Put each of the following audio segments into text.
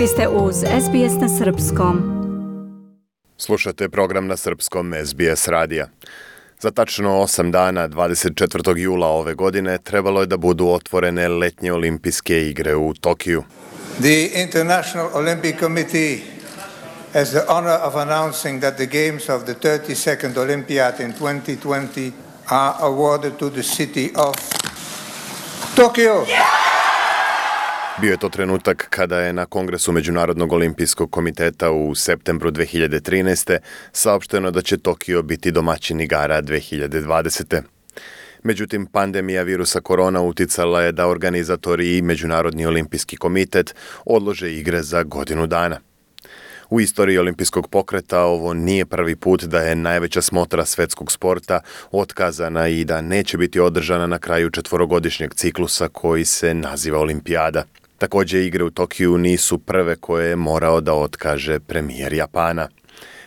Vi ste uz SBS na Srpskom. Slušate program na Srpskom SBS radija. Za tačno 8 dana, 24. jula ove godine, trebalo je da budu otvorene letnje olimpijske igre u Tokiju. The International Olympic Committee has the honor of announcing that the games of the 32nd Olympiad in 2020 are awarded to the city of Tokyo. Bio je to trenutak kada je na Kongresu Međunarodnog olimpijskog komiteta u septembru 2013. saopšteno da će Tokio biti domaćin igara 2020. Međutim, pandemija virusa korona uticala je da organizatori i Međunarodni olimpijski komitet odlože igre za godinu dana. U istoriji olimpijskog pokreta ovo nije prvi put da je najveća smotra svetskog sporta otkazana i da neće biti održana na kraju četvorogodišnjeg ciklusa koji se naziva Olimpijada. Također, igre u Tokiju nisu prve koje je morao da otkaže premijer Japana.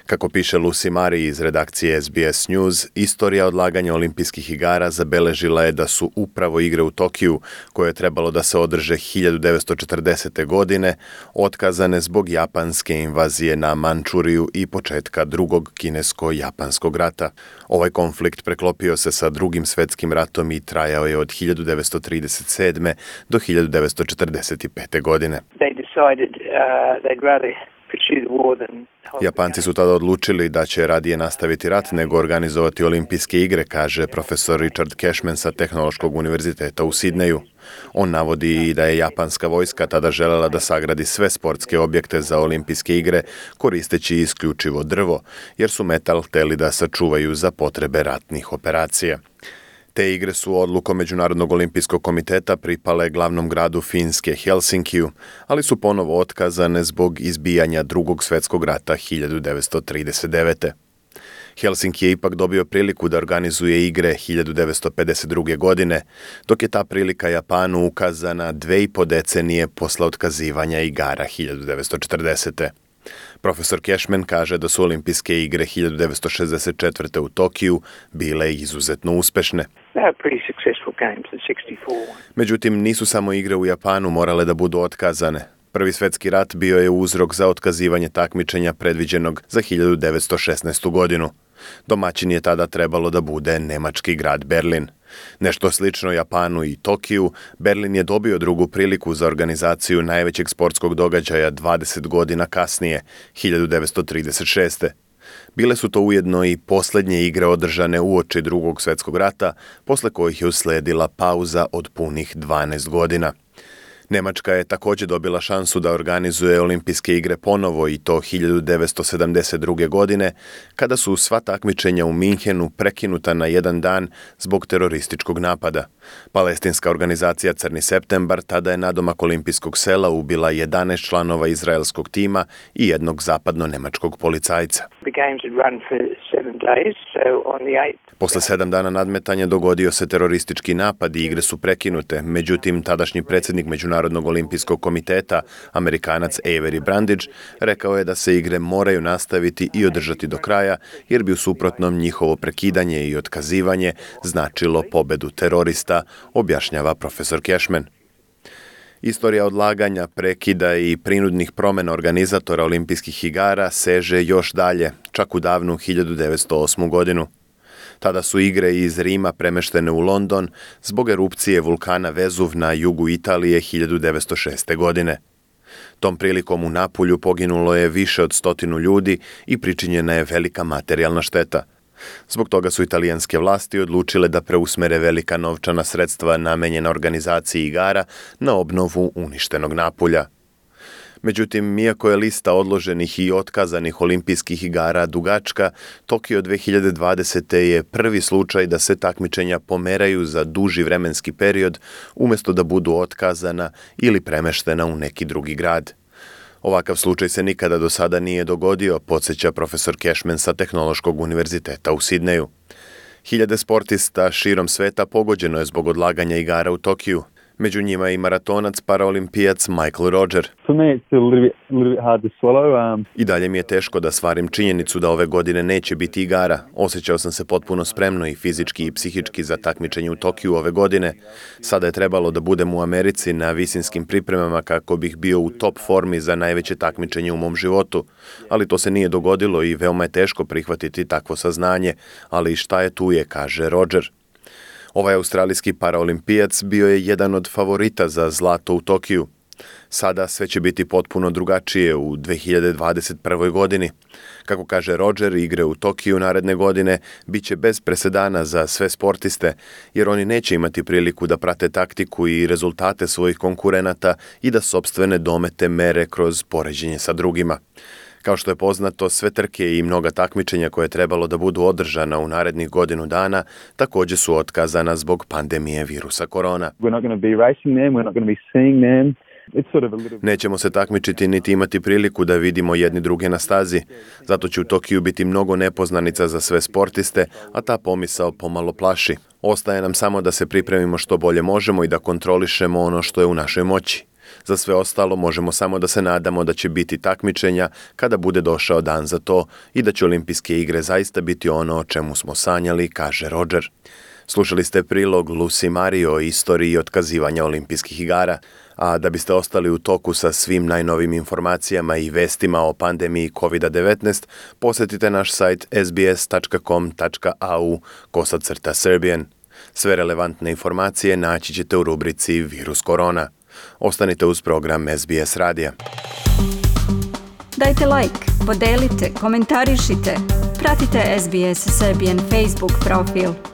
Kako piše Lucy Mari iz redakcije SBS News, istorija odlaganja olimpijskih igara zabeležila je da su upravo igre u Tokiju, koje je trebalo da se održe 1940. godine, otkazane zbog japanske invazije na Mančuriju i početka drugog kinesko-japanskog rata. Ovaj konflikt preklopio se sa drugim svetskim ratom i trajao je od 1937. do 1945. godine. Japanci su tada odlučili da će radije nastaviti rat nego organizovati olimpijske igre, kaže profesor Richard Cashman sa Tehnološkog univerziteta u Sidneju. On navodi i da je japanska vojska tada želela da sagradi sve sportske objekte za olimpijske igre koristeći isključivo drvo, jer su metal hteli da sačuvaju za potrebe ratnih operacija. Te igre su odlukom Međunarodnog olimpijskog komiteta pripale glavnom gradu Finske, Helsinkiju, ali su ponovo otkazane zbog izbijanja Drugog svjetskog rata 1939. Helsinki je ipak dobio priliku da organizuje igre 1952. godine, dok je ta prilika Japanu ukazana 2,5 decenije posle otkazivanja igara 1940. Profesor Cashman kaže da su olimpijske igre 1964. u Tokiju bile izuzetno uspešne. Međutim, nisu samo igre u Japanu morale da budu otkazane. Prvi svjetski rat bio je uzrok za otkazivanje takmičenja predviđenog za 1916. godinu. Domaćin je tada trebalo da bude nemački grad Berlin. Nešto slično Japanu i Tokiju, Berlin je dobio drugu priliku za organizaciju najvećeg sportskog događaja 20 godina kasnije, 1936. Bile su to ujedno i posljednje igre održane uoči Drugog svjetskog rata, posle kojih je usledila pauza od punih 12 godina. Nemačka je također dobila šansu da organizuje olimpijske igre ponovo i to 1972. godine, kada su sva takmičenja u Minhenu prekinuta na jedan dan zbog terorističkog napada. Palestinska organizacija Crni septembar tada je nadomak olimpijskog sela ubila 11 članova izraelskog tima i jednog zapadno-nemačkog policajca. Posle 7 dana nadmetanja dogodio se teroristički napad i igre su prekinute, međutim tadašnji predsjednik Međunarodnog olimpijskog komiteta, Amerikanac Avery Brundage, rekao je da se igre moraju nastaviti i održati do kraja, jer bi u suprotnom njihovo prekidanje i otkazivanje značilo pobedu terorista, objašnjava profesor Cashman. Istorija odlaganja, prekida i prinudnih promjena organizatora olimpijskih igara seže još dalje, čak u davnu 1908. godinu. Tada su igre iz Rima premeštene u London zbog erupcije vulkana Vezuv na jugu Italije 1906. godine. Tom prilikom u Napulju poginulo je više od 100 ljudi i pričinjena je velika materijalna šteta. Zbog toga su italijanske vlasti odlučile da preusmere velika novčana sredstva namenjena organizaciji igara na obnovu uništenog Napulja. Međutim, iako je lista odloženih i otkazanih olimpijskih igara dugačka, Tokio 2020. je prvi slučaj da se takmičenja pomeraju za duži vremenski period umjesto da budu otkazana ili premeštena u neki drugi grad. Ovakav slučaj se nikada do sada nije dogodio, podsjeća profesor Cashman sa Tehnološkog univerziteta u Sidneju. Hiljade sportista širom sveta pogođeno je zbog odlaganja igara u Tokiju. Među njima i maratonac paraolimpijac Michael Rodger. For me, it's a little bit hard to swallow. I dalje mi je teško da stvarim činjenicu da ove godine neće biti igara. Osjećao sam se potpuno spremno i fizički i psihički za takmičenje u Tokiju ove godine. Sada je trebalo da budem u Americi na visinskim pripremama kako bih bio u top formi za najveće takmičenje u mom životu. Ali to se nije dogodilo i veoma je teško prihvatiti takvo saznanje. Ali šta je tu je, kaže Rodger. Ovaj australijski paraolimpijac bio je jedan od favorita za zlato u Tokiju. Sada sve će biti potpuno drugačije u 2021. godini. Kako kaže Rodger, igre u Tokiju naredne godine bit će bez presedana za sve sportiste, jer oni neće imati priliku da prate taktiku i rezultate svojih konkurenata i da sopstvene domete mere kroz poređenje sa drugima. Kao što je poznato, sve trke i mnoga takmičenja koje je trebalo da budu održana u narednih godinu dana također su otkazana zbog pandemije virusa korona. Nećemo se takmičiti niti imati priliku da vidimo jedni druge na stazi. Zato će u Tokiju biti mnogo nepoznanica za sve sportiste, a ta pomisao pomalo plaši. Ostaje nam samo da se pripremimo što bolje možemo i da kontrolišemo ono što je u našoj moći. Za sve ostalo možemo samo da se nadamo da će biti takmičenja kada bude došao dan za to i da će olimpijske igre zaista biti ono o čemu smo sanjali, kaže Rodger. Slušali ste prilog Lucy Marie o istoriji otkazivanja olimpijskih igara. A da biste ostali u toku sa svim najnovim informacijama i vestima o pandemiji COVID-19, posjetite naš sajt sbs.com.au/Serbian. Sve relevantne informacije naći ćete u rubrici Virus korona. Ostanite uz program SBS radija. Dajte like, podelite, komentarišite. Pratite SBS Serbian Facebook profil.